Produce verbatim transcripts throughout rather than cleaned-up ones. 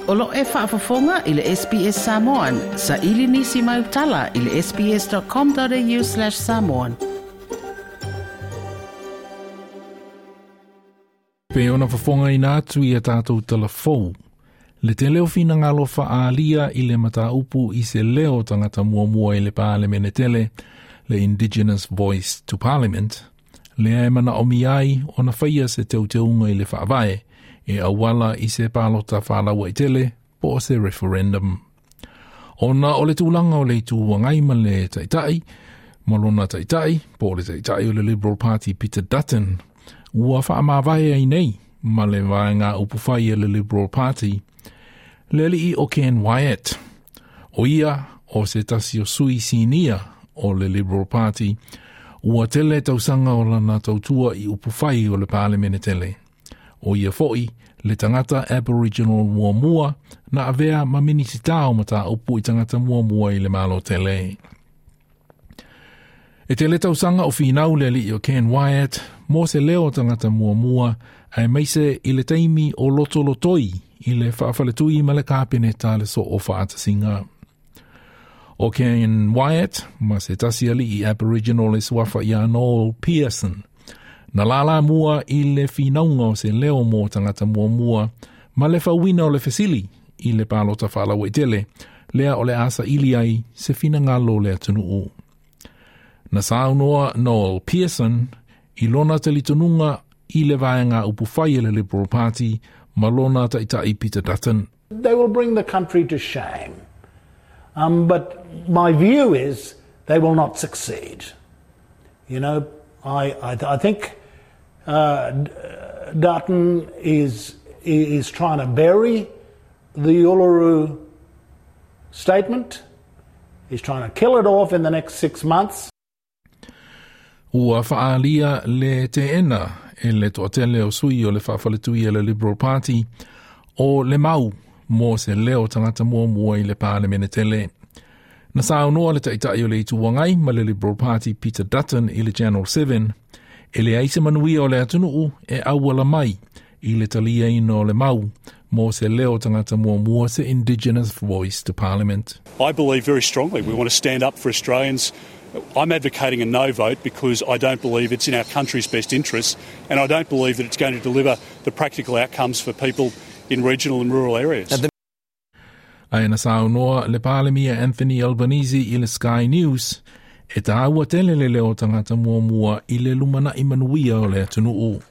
O lo e faafofoga i le S B S Samoan, sa ili nisi mai utala i le S B S dot com dot A U slash samoan. Pe ona fofoga ina atu i a tātou talafou. Le te leo finagalo faalia i le mataupu i se leo tangata muamua i le Palemene tele, le Indigenous Voice to Parliament, lea e manaomia ai ona faia se teuteuga i le faavae, e auala i se palota faalauaitele po o se referendum. Ona o le tulaga o le Itu Agai ma le taitai, ma lona taitai, po o le taitai o le Liberal Party Peter Dutton, ua faamavae ai nei ma le vaega upufai e le Liberal Party, le alii o Ken Wyatt. O ia o se tasi o sui sinia o le Liberal Party, ua tele tausaga o lana tautua i upufai o le Palemene tele. O ia foi le tangata Aboriginal muamua na avea ma minisita o mataupu i tangata muamua i le malo tele. E tele tausaga o finau le alii o Ken Wyatt mo se leo tangata muamua aemaise i le taimi o lotolotoi i le faafaletui ma le kapeneta le so o faatasiga. O Ken Wyatt, ma se tasi alii Aboriginal e suafa ia Noel Pearson, na lala mua i le finauga o se leo mo tangata muamua ma le fauina o le fesili i le palota faalauaitele, lea o le a saili ai se finagalo o le atunuu. Na saunoa Noel Pearson i lona talitonuga i le vaega upufai e le Liberal Party ma lona taitai Peter Dutton. They will bring the country to shame. Um, but my view is they will not succeed. You know, I, I, I think uh, Dutton is, is trying to bury the Uluru Statement. He's trying to kill it off in the next six months. Ua faalia le teena e le toatele o sui o le faafaletui e le Liberal Party o le mau mo se leo tangata muamua i le Palemene tele. Na saunoa le taitai o le Itu Agai ma le Liberal Party Peter Dutton i le Channel seven, e leai se manuia o le atunuu e auala mai i le taliaina o le mau mo se leo tangata muamua, se Indigenous Voice to Parliament. I believe very strongly we want to stand up for Australians. I'm advocating a no vote because I don't believe it's in our country's best interests and I don't believe that it's going to deliver the practical outcomes for people in regional and rural areas. Ae na saunoa le Palemia Anthony Albanese i le Sky News, e tāua tele le leo tangata muamua i le lumanai manuia o le atunuu.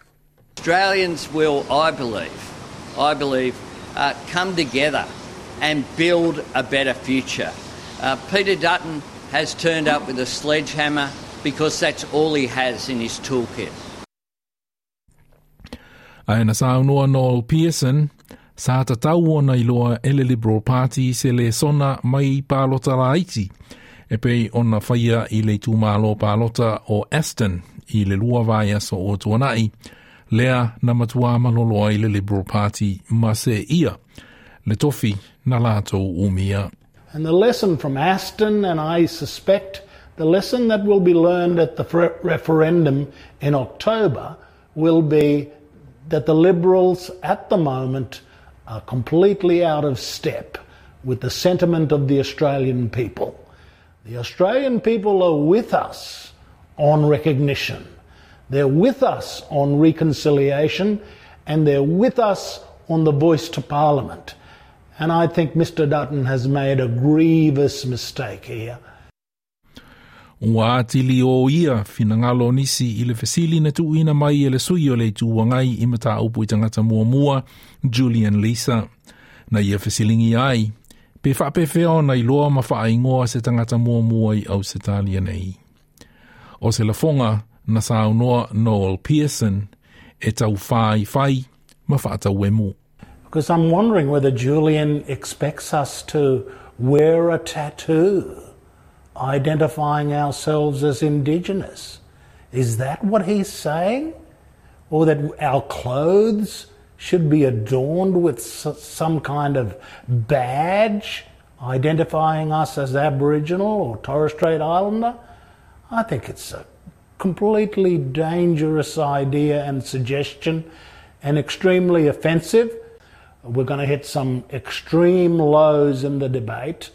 Australians will, I believe, I believe, uh, come together and build a better future. Uh, Peter Dutton has turned up with a sledgehammer because that's all he has in his toolkit. Ae na saunoa Noel Pearson, sa tatau ona iloa e le Liberal Party se lesona mai palota laiti, e pei ona faia i le itumalo palota o Aston i le lua vaiaso o tuanai, lea na matua malolo ai le Liberal Party ma se ia, le tofi na latou umia. And the lesson from Aston, and I suspect the lesson that will be learned at the referendum in October, will be that the Liberals at the moment are completely out of step with the sentiment of the Australian people. The Australian people are with us on recognition. They're with us on reconciliation, and they're with us on the voice to Parliament. And I think Mister Dutton has made a grievous mistake here. Ua atili o ia finagalo nisi i le fesili na tuuina mai e le sui o le Itu Agai i mataupu i tangata muamua, Julian Leeser. Na ia fesilingi ai, pe faapefea ona iloa ma faaingoa se tangata muamua i Ausetalia nei. O se lafoga na saunoa Noel Pearson e tau whai whai ma whaatauemu. Because I'm wondering whether Julian expects us to wear a tattoo identifying ourselves as Indigenous. Is that what he's saying? Or that our clothes should be adorned with some kind of badge identifying us as Aboriginal or Torres Strait Islander? I think it's a completely dangerous idea and suggestion and extremely offensive. We're going to hit some extreme lows in the debate.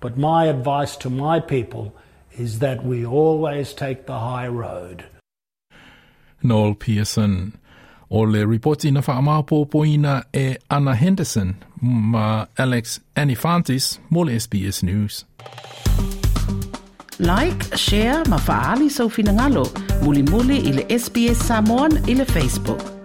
But my advice to my people is that we always take the high road. Noel Pearson. O le ripoti na whaamapopoina e Anna Henderson ma Alex Anifantis mo le S B S News. Like, share ma faali sau finagalo. Mulimuli i le S B S Samoan i le Facebook.